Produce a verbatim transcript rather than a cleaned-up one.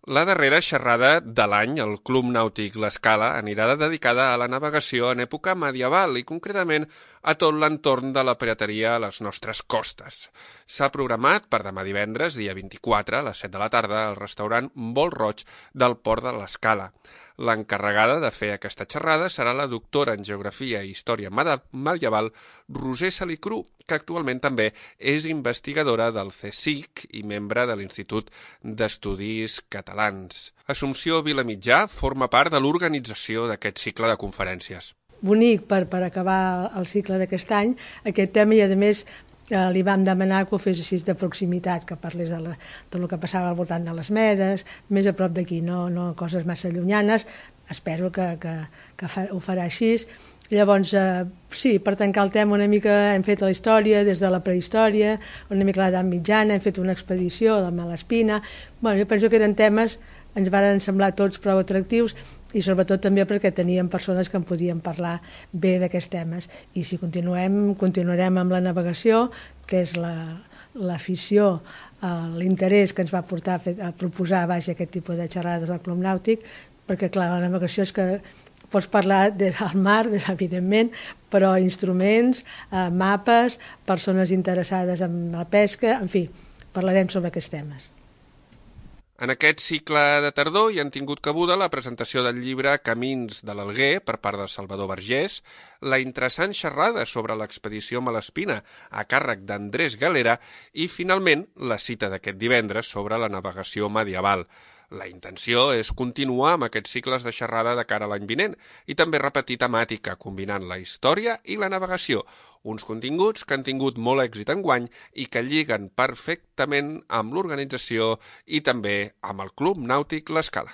La darrera xerrada de l'any, el Club Nàutic L'Escala, anirà dedicada a la navegació en època medieval i concretament a tot l'entorn de la pirateria a les nostres costes. S'ha programat per demà divendres, dia vint-i-quatre, a les set de la tarda, al restaurant Vol Roig del Port de l'Escala. L'encarregada de fer aquesta xerrada serà la doctora en Geografia i Història Medieval Roser Salicru, que actualment també és investigadora del CSIC i membre de l'Institut d'Estudis Catalans. Assumpció Vilamitjà forma part de l'organització d'aquest cicle de conferències. Bonic per, per acabar el cicle d'aquest any, aquest tema, i a més eh, li vam demanar que ho fes així de proximitat, que parlés de, la, de lo que passava al voltant de les Medes, més a prop d'aquí, no, no coses massa llunyanes. Espero que, que, que fa, ho farà així. Llavors, eh, sí, per tancar el tema una mica hem fet la història des de la prehistòria, una mica l'edat mitjana, hem fet una expedició de Malespina. Bueno, jo penso que eren temes, ens van semblar tots prou atractius i sobretot també perquè teníem persones que en podien parlar bé d'aquests temes. I si continuem, continuarem amb la navegació, que és la, l'afició, eh, l'interès que ens va portar a, fer, a proposar baix aquest tipus de xerrades al Club Nàutic, perquè clar, la navegació és que pots parlar del mar, evidentment, però instruments, eh, mapes, persones interessades en la pesca, en fi, parlarem sobre aquests temes. En aquest cicle de tardor hi han tingut cabuda la presentació del llibre Camins de l'Alguer per part de Salvador Vergés, la interessant xerrada sobre l'expedició Malespina a càrrec d'Andrés Galera i, finalment, la cita d'aquest divendres sobre la navegació medieval. La intenció és continuar amb aquests cicles de xerrada de cara a l'any vinent i també repetir temàtica, combinant la història i la navegació, uns continguts que han tingut molt èxit enguany i que lliguen perfectament amb l'organització i també amb el Club Nàutic L'Escala.